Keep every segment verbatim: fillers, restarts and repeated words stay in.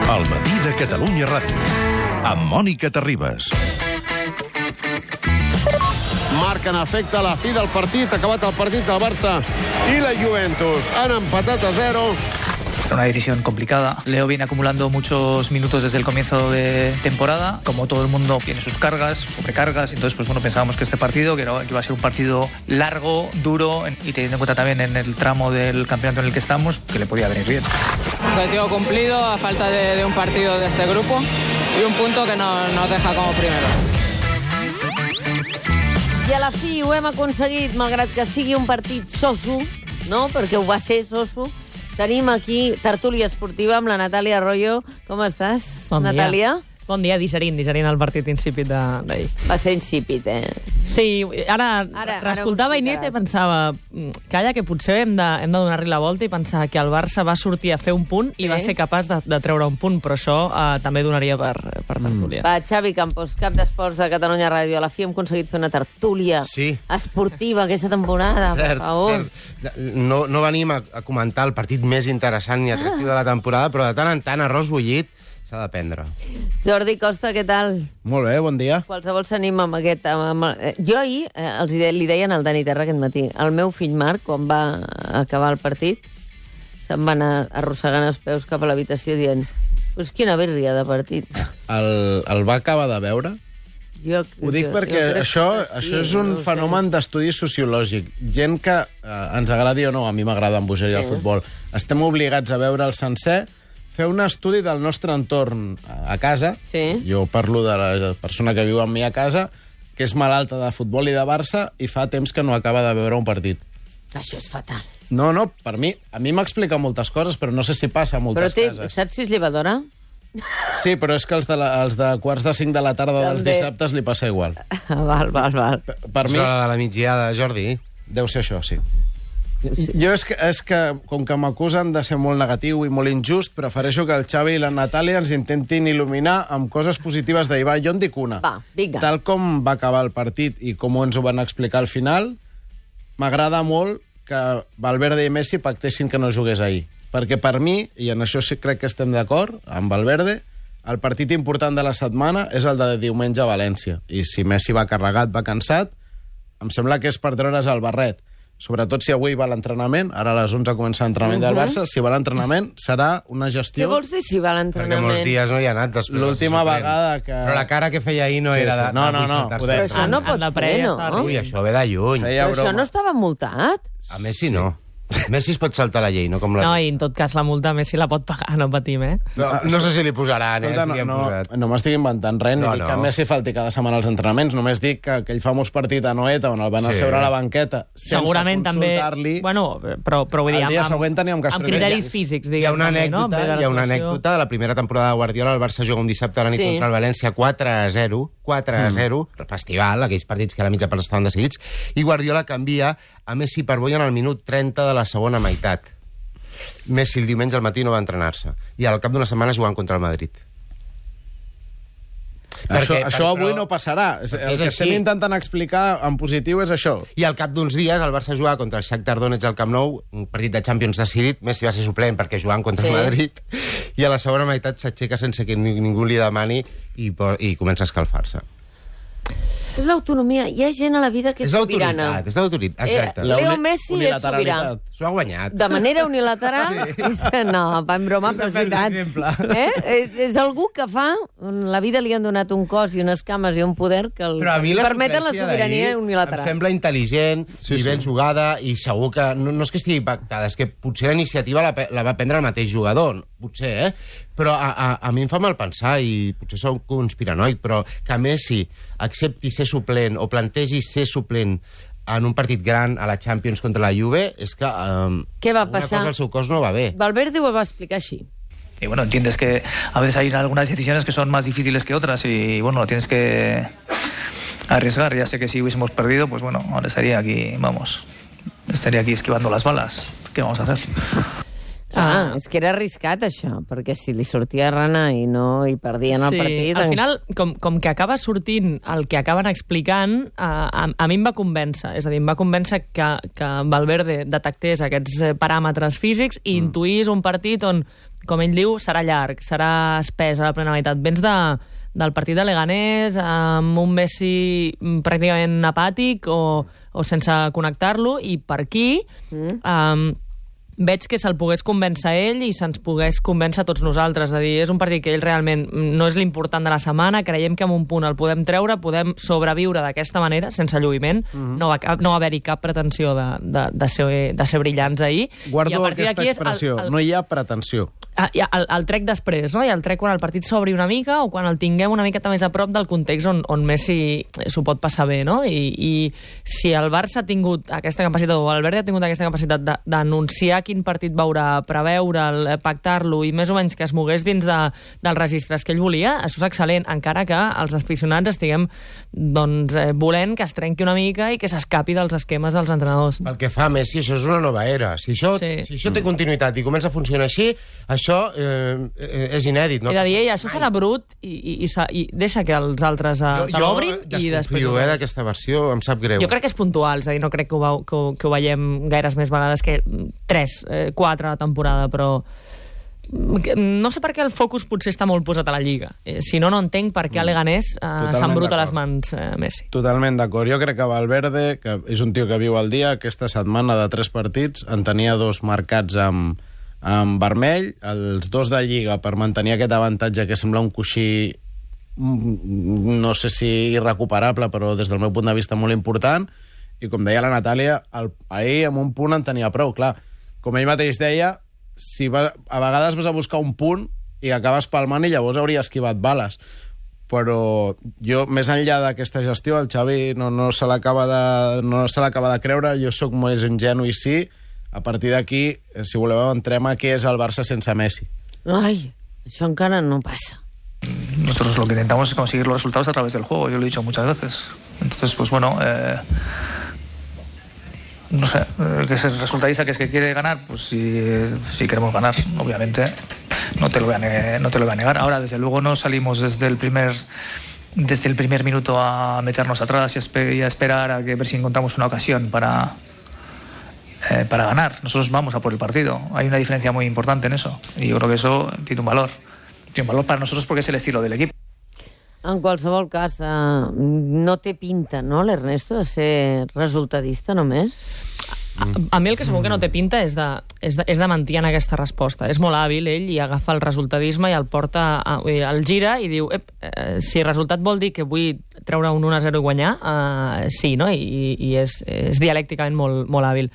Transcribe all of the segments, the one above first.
El matí de Catalunya Ràdio, amb Mònica Terribas. Marca en efecte la fi del partit, acabat el partit del Barça y la Juventus. Han empatat a zero. Una decisión complicada. Leo viene acumulando muchos minutos desde el comienzo de temporada. Como todo el mundo tiene sus cargas, sobrecargas. Entonces, pues bueno, pensábamos que este partido, que, era, que iba a ser un partido largo, duro, y teniendo en cuenta también en el tramo del campeonato en el que estamos, que le podía venir bien. Objetivo cumplido a falta de, de un partido de este grupo y un punto que no, nos deja como primero. I a la fi ho hem aconseguit, malgrat que sigui un partit soso, no? Perquè ho va ser soso. Tenim aquí tertúlia esportiva amb la Natàlia Arroyo. Com estàs, bon Natàlia? Dia. Bon dia, digerint, digerint el partit insípid d'ahir. Va ser insípid, eh? Sí, ara, ara reescoltava Iniesta i pensava, calla, que potser hem de, hem de donar-li la volta i pensar que el Barça va sortir a fer un punt sí. i va ser capaç de, de treure un punt, però això eh, també donaria per, per tertúlia. Va, Xavi Campos, cap d'esports de Catalunya Ràdio. A la fi hem aconseguit fer una tertúlia sí. esportiva aquesta temporada, cert, per favor. Cert. No, no venim a, a comentar el partit més interessant ni atractiu ah. de la temporada, però de tant en tant arròs bullit s'ha de prendre. Jordi Costa, què tal? Molt bé, bon dia. Qualsevol s'anima amb aquest... Amb, amb, jo ahir eh, els de, li deien al Dani Terra aquest matí, el meu fill Marc, quan va acabar el partit, se'n va anar arrossegant els peus cap a l'habitació dient pues quina birria de partit. El, el va acabar de veure? Jo, Ho dic jo, perquè jo això, sí, això és un no fenomen d'estudi sociològic. Gent que eh, ens agradi o no, a mi m'agrada en bogeria sí. el futbol, estem obligats a veure el sencer, fer un estudi del nostre entorn a casa. Sí. Jo parlo de la persona que viu amb mi a casa, que és malalta de futbol i de Barça i fa temps que no acaba de veure un partit. Això és fatal. No, no, per mi, a mi m'explica moltes coses, però no sé si passa a moltes però té, cases. saps si és llevadora? Sí, però és que els de, la, els de quarts de cinc de la tarda dels També. dissabtes li passa igual. Val, val, val. Per, per És mi... l'hora de la migdiada, Jordi. Deu ser això, sí. Sí. Jo és que, és que, com que m'acusen de ser molt negatiu i molt injust, prefereixo que el Xavi i la Natàlia ens intentin il·luminar amb coses positives d'ahir. Va, jo en dic una. Va, vinga. Tal com va acabar el partit i com ens ho van explicar al final, m'agrada molt que Valverde i Messi pactessin que no jugués ahir. Perquè per mi, i en això sí crec que estem d'acord, amb Valverde, el partit important de la setmana és el de diumenge a València. I si Messi va carregat, va cansat, em sembla que és per treure's el barret. Sobretot si avui va a l'entrenament, ara a les onze comença l'entrenament uh-huh. del Barça, si va a l'entrenament serà una gestió... Què vols dir si va a l'entrenament? Perquè molts dies no hi ha anat després. L'última de vegada que... Però la cara que feia ahir no sí, era sí. de... No, no, no. Però això no pot ser, no? Ui, això ve de lluny. Però això no estava multat? A Messi no. Messi es pot saltar la llei, no com la... No, i en tot cas la multa Messi la pot pagar, no patim, eh? No, no sé si li posaran, eh? No, si no, posat. no m'estic inventant res, ni no, dic no. que Messi falti cada setmana als entrenaments, només dic que aquell famós partit a Noeta on el van Sí. asseure a la banqueta Segurament sense també... consultar-li... Bueno, però, però vull dir... El dia amb, següent teníem que amb estrenar. criteris físics, Hi ha diguem. una també, no? anècdota, hi ha una anècdota de la primera temporada de Guardiola. El Barça juga un dissabte a la nit Sí. contra el València quatre a zero, quatre a zero, mm. festival, aquells partits que a la mitja part estaven decidits, i Guardiola canvia a Messi per Boia en el minut trenta de la segona meitat. Messi el diumenge al matí no va entrenar-se i al cap d'una setmana jugant contra el Madrid. Això, Perquè, això però, avui no passarà. El és que així. estem intentant explicar en positiu és això. I al cap d'uns dies el Barça jugava contra el Shakhtar Donetsk al Camp Nou, un partit de Champions decidit. Messi va ser suplent perquè jugant contra Sí. el Madrid, i a la segona meitat s'aixeca sense que ningú li demani i, i comença a escalfar-se. És l'autonomia. Hi ha gent a la vida que és, És sobirana. l'autoritat, és l'autoritat, exacte. Eh, Leo Messi és sobirà. S'ho ha guanyat. De manera unilateral? Sí. No, va en broma, però és veritat. Eh? És, és algú que fa... La vida li han donat un cos i unes cames i un poder que el, Però a mi la permeten la suplència sobirania d'ahir unilateral. em sembla intel·ligent Sí, i ben sí. jugada, i segur que no, no és que estigui pactada, és que potser la iniciativa la, pe- la va prendre el mateix jugador, potser, eh? Però a, a, a mi em fa mal pensar, i potser soc conspiranoic, però que Messi accepti ser suplent o plantegi ser suplent en un partit gran a la Champions contra la Juve, és que um, Què va alguna passar? cosa al seu cos no va bé. Valverde ho va explicar així. Y bueno, entiendes que a veces hay algunas decisiones que son más difíciles que otras y bueno, lo tienes que arriesgar. Ya sé que si hubiésemos perdido, pues bueno, ahora estaría aquí, vamos, estaría aquí esquivando las balas. ¿Qué vamos a hacer? Ah, és que era arriscat, això, perquè si li sortia rana i no hi perdien el sí, partit... al final, com, com que acaba sortint el que acaben explicant, a, a, a mi em va convèncer. És a dir, em va convèncer que, que Valverde detectés aquests paràmetres físics i mm. intuís un partit on, com ell diu, serà llarg, serà espès a la plena meitat. Vens de, del partit de Leganés amb un Messi pràcticament apàtic o, o sense connectar-lo, i per aquí... Mm. Um, veig que se'l pogués convèncer ell i se'ns pogués convèncer tots nosaltres. És a dir, és un partit que ell realment no és l'important de la setmana, creiem que en un punt el podem treure, podem sobreviure d'aquesta manera, sense lluïment, mm-hmm. no va, no va haver-hi cap pretensió de, de, de, ser, de ser brillants ahir. Guardo aquesta expressió, el, el... no hi ha pretensió. Ah, el, el trec després, no? I el trec quan el partit s'obri una mica o quan el tinguem una miqueta més a prop del context on, on Messi s'ho pot passar bé, no? I, i si el Barça ha tingut aquesta capacitat, o el Valverde ha tingut aquesta capacitat d'anunciar quin partit veurà, preveure'l, pactar-lo i més o menys que es mogués dins de, dels registres que ell volia, això és excel·lent, encara que els aficionats estiguem doncs, eh, volent que es trenqui una mica i que s'escapi dels esquemes dels entrenadors. Pel que fa a Messi, això és una nova era. Si això, sí. si això té continuïtat i comença a funcionar així, això eh, és inèdit. No? Era dir, ell, això serà brut i, i, i, i deixa que els altres eh, se l'obrin i després... Jo eh, d'aquesta versió, em sap greu. Jo crec que és puntual, és a dir, no crec que ho, veu, que, ho, que ho veiem gaires més vegades que tres, eh, quatre a la temporada, però no sé per què el focus potser està molt posat a la Lliga. Eh, si no, no entenc per què a Leganés eh, s'embruta les mans eh, Messi. Totalment d'acord. Jo crec que Valverde, que és un tio que viu al dia, aquesta setmana de tres partits en tenia dos marcats amb, amb vermell, els dos de Lliga per mantenir aquest avantatge que sembla un coixí, no sé si irrecuperable, però des del meu punt de vista molt important, i com deia la Natàlia, el, ahir amb un punt en tenia prou. Clar, com ell mateix deia, si va, a vegades vas a buscar un punt i acabes palmant i llavors hauria esquivat bales. Però jo, més enllà d'aquesta gestió, el Xavi no, no se l'acaba de, no se l'acaba de creure, jo sóc més ingenu i sí, a partir d'aquí, si voleu, entrem a què és el Barça sense Messi. Ai, això encara no passa. Nosotros lo que intentamos es conseguir los resultados a través del juego, yo lo he dicho muchas veces. Entonces, pues bueno... Eh... No sé, que es el resultadista que es que quiere ganar, pues si, si queremos ganar, obviamente, no te lo voy a negar, no te lo voy a negar. Ahora, desde luego, no salimos desde el primer, desde el primer minuto a meternos atrás y a, esper y a esperar a que ver si encontramos una ocasión para, eh, para ganar. Nosotros vamos a por el partido. Hay una diferencia muy importante en eso. Y yo creo que eso tiene un valor. Tiene un valor para nosotros porque es el estilo del equipo. En qualsevol cas, eh, no té pinta, no, l'Ernesto, de ser resultadista només? A, a mi el que segur que no té pinta és de, és de, és de mentir en aquesta resposta. És molt hàbil, ell, i agafa el resultadisme i el porta, a, el gira i diu, ep, eh, si el resultat vol dir que vull treure un un a zero i guanyar, eh, sí, no? I, i és, és dialècticament molt, molt hàbil.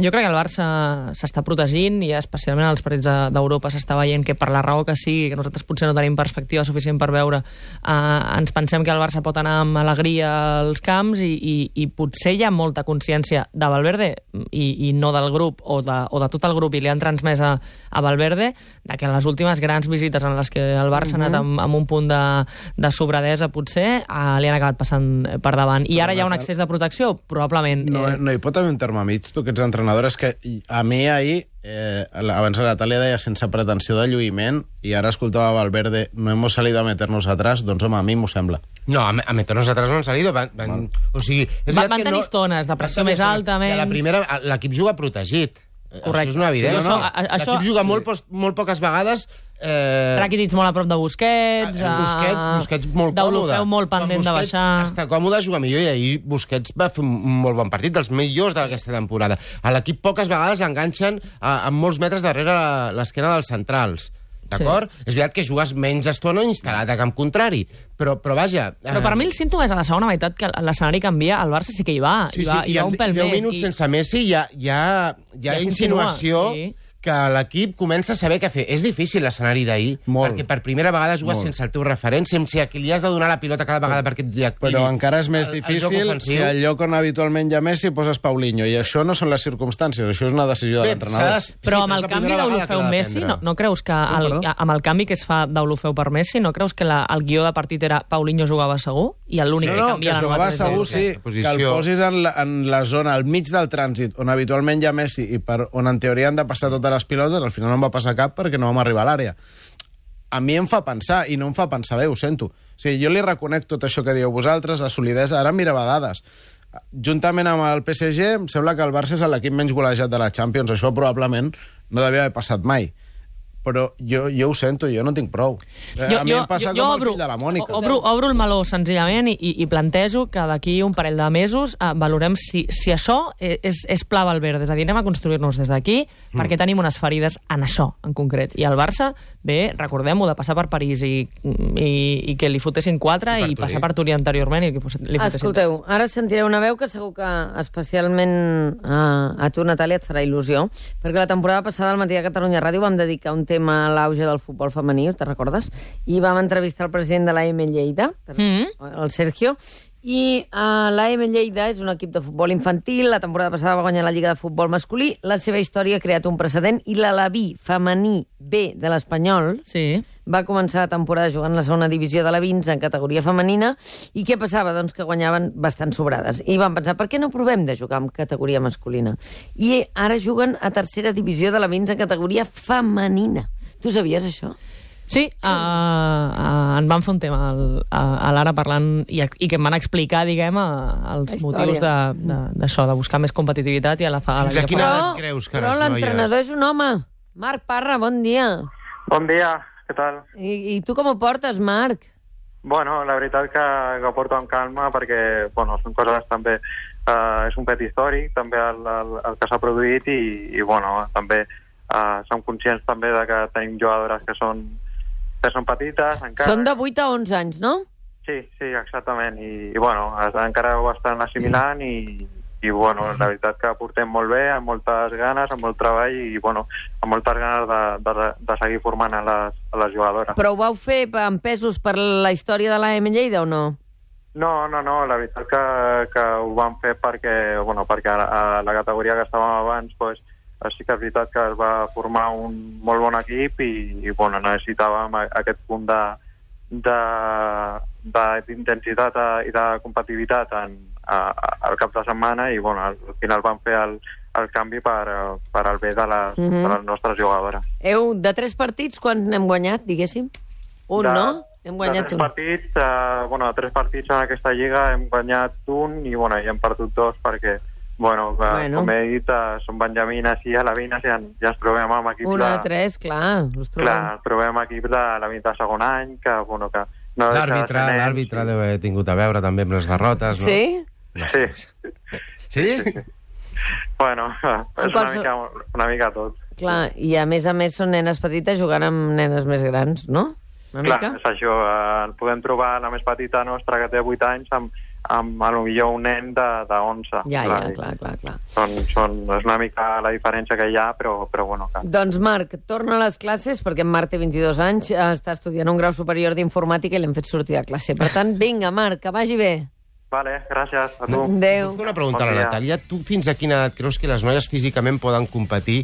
Jo crec que el Barça s'està protegint i especialment als partits d'Europa s'està veient que per la raó que sigui, que nosaltres potser no tenim perspectiva suficient per veure, eh, ens pensem que el Barça pot anar amb alegria als camps i, i, i potser hi ha molta consciència de Valverde i, i no del grup o de, o de tot el grup i li han transmès a, a Valverde de que en les últimes grans visites en les que el Barça ha anat amb, amb un punt de, de sobradesa potser eh, li han acabat passant per davant i ara hi ha un excés de protecció? Probablement. No, eh... no hi pot haver un terme mig, tu que ets entrenador, és que a mi ahir Eh, abans la Natàlia deia sense pretensió de lluïment i ara escoltava Valverde, no hemos salido a meternos atrás, doncs home, a mi m'ho sembla. No, a, a meternos atrás no han salido, van, van, o sigui... Va, van tenir no, estones de pressió més alta, menys... La primera, l'equip juga protegit. Correcte. Això és una evidència. Sí, no, no. L'equip juga sí. molt, molt poques vegades... Eh... Rakitic molt a prop de Busquets, eh, Busquets, Busquets molt còmode. Deulofeu molt pendent de baixar. Està còmode, juga millor, i ahir Busquets va fer un molt bon partit, dels millors d'aquesta temporada. A l'equip poques vegades enganxen a, a molts metres darrere l'esquena dels centrals. D'acord? Sí. És veritat que jugues menys estona instal·lat a camp contrari, però, però vaja... Però per mi el símptoma és a la segona meitat que l'escenari canvia, el Barça sí que hi va, sí, hi va, sí, hi va un pèl més. deu minuts i... sense Messi hi ha, hi ha, hi ha ja insinuació... Sí. Que l'equip comença a saber què fer. És difícil l'escenari d'ahir, perquè per primera vegada jugues Molt. sense el teu referent, sense a qui li has de donar la pilota cada vegada perquè et reactivi. Però encara és més el, difícil el si al lloc on habitualment hi ha Messi poses Paulinho, i això no són les circumstàncies, això és una decisió de l'entrenador. Però amb el canvi d'Olofeu Messi, no, no creus que el, amb el canvi que es fa d'Olofeu per Messi, no creus que la, el guió de partit era Paulinho jugava segur? I l'únic no, que no, canvia que jugava segur, sí, que el posis en la, en la zona, al mig del trànsit, on habitualment hi ha Messi i per on en teoria han de passar totes de les pilotes, al final no em va passar cap perquè no vam arribar a l'àrea. A mi em fa pensar, i no em fa pensar bé, ho sento. O sigui, jo li reconec tot això que dieu vosaltres, la solidesa, ara mira dades. Juntament amb el P S G, em sembla que el Barça és l'equip menys golejat de la Champions. Això probablement no devia haver passat mai. Però jo, jo ho sento, jo no tinc prou. Jo, a mi jo, em passa jo, com jo el obro, fill de la Mònica. Obro, obro el meló, senzillament, i, i plantejo que d'aquí un parell de mesos eh, valorem si, si això és, és pla Valverde. És a dir, anem a construir-nos des d'aquí mm. perquè tenim unes ferides en això, en concret. I el Barça, bé, recordem-ho, de passar per París i, i, i que li fotessin quatre i, i passar per Turí anteriorment i que li fotessin... Escolteu, ara sentireu una veu que segur que especialment a, a tu, Natàlia, et farà il·lusió, perquè la temporada passada al Matí de Catalunya Ràdio vam dedicar un tema a l'auge del futbol femení, te'n recordes? I vam entrevistar el president de l'A M Lleida, mm. el Sergio, i uh, l'A M Lleida és un equip de futbol infantil, la temporada passada va guanyar la Lliga de Futbol Masculí, la seva història ha creat un precedent, i l'Alaví femení B de l'Espanyol sí. va començar la temporada jugant la segona divisió de la Vins en categoria femenina, i què passava? Doncs que guanyaven bastant sobrades. I van pensar, per què no provem de jugar en categoria masculina? I ara juguen a tercera divisió de la Vins en categoria femenina. Tu sabies això? Sí, uh, uh, en vam fer un tema al, a, a l'Ara parlant i, i que em van explicar, diguem, uh, els motius d'això, de, de, de buscar més competitivitat i a la, a la Fins a quina però, edat creus que però l'entrenador és un home. Marc Parra, bon dia. Bon dia, què tal? I, i tu com ho portes, Marc? Bueno, la veritat que, que ho porto amb calma perquè, bueno, són coses també... Uh, és un fet històric, també el, el, el que s'ha produït i, i bueno, també uh, som conscients també de que tenim jugadores que són que són petites encara. Són de vuit a onze anys, no? Sí, sí, exactament. I, i bueno, encara ho estan assimilant i, i bueno, la veritat que portem molt bé, amb moltes ganes, amb molt treball i bueno, amb moltes ganes de, de, de seguir formant a les, a les jugadores. Però ho vau fer amb pesos per la història de l'A M Lleida o no? No, no, no, la veritat que, que ho vam fer perquè, bueno, perquè a, a la categoria que estàvem abans, pues, sí que és veritat que es va formar un molt bon equip i, i bueno, necessitàvem aquest punt de, de, d'intensitat i de competitivitat en, a, al cap de setmana i bueno, al final vam fer el, el canvi per, per al bé de les, mm-hmm. de les nostres jugadores. Eu, de tres partits, quan n'hem guanyat, diguéssim? Un, de, no? Hem guanyat de tres un. Partits, eh, bueno, de tres partits en aquesta lliga hem guanyat un i, bueno, i hem perdut dos perquè Bueno, que, bueno, com he dit, uh, són benjamines i alevines i ja, ja ens trobem amb equips Una de... de tres, clar. Clar, trobem equips de la vint de segon any, que, bueno, que... No l'àrbitre, de l'àrbitre deu haver tingut a veure també amb les derrotes, no? Sí? No sé. Sí. Sí? Bueno, és una mica, una mica tot. Clar, i a més a més són nenes petites jugant amb nenes més grans, no? Una Clar, mica? és això. Eh, podem trobar la més petita nostra, que té vuit anys, amb amb a lo millor un nen de, de onze. Ja, clar, ja, clar, clar, clar. Són, són, és una mica la diferència que hi ha, però, però bueno... Que... Doncs Marc, torna a les classes, perquè en Marc té vint-i-dos anys, està estudiant un grau superior d'informàtica i l'hem fet sortir de classe. Per tant, vinga, Marc, que vagi bé. Vale, gràcies a tu. Adéu. Vull fer una pregunta bon a la Natàlia. Tu fins a quina edat creus que les noies físicament poden competir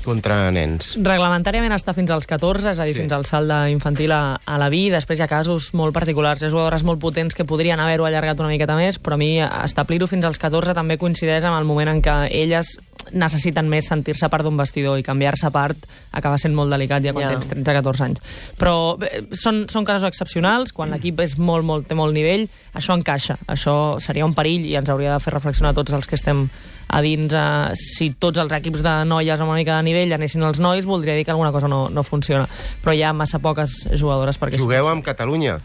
contra nens? Reglamentàriament està fins als catorze, és a dir, sí. fins al salt infantil a, a la V I. Després hi ha casos molt particulars, hi ha jugadores molt potents que podrien haver-ho allargat una miqueta més, però a mi establir-ho fins als catorze també coincideix amb el moment en què elles necessiten més sentir-se a part d'un vestidor i canviar-se a part acaba sent molt delicat ja quan yeah. tens tretze a catorze anys. Però bé, són, són casos excepcionals, quan l'equip és molt, molt, té molt nivell, això encaixa, això seria un perill i ens hauria de fer reflexionar tots els que estem a dins. Eh, si tots els equips de noies amb una mica de nivell anessin els nois, voldria dir que alguna cosa no, no funciona. Però hi ha massa poques jugadores perquè... Jugueu amb Catalunya?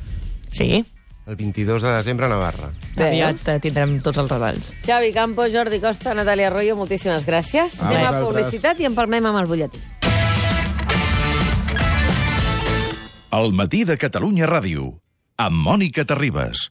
Sí. El vint-i-dos de desembre a Navarra. Aviat tindrem tots els retalls. Xavi Campo, Jordi Costa, Natàlia Arroyo, moltíssimes gràcies. A Anem vosaltres. a publicitat i empalmem amb el butlletí. El matí de Catalunya Ràdio, amb Mònica Terribas.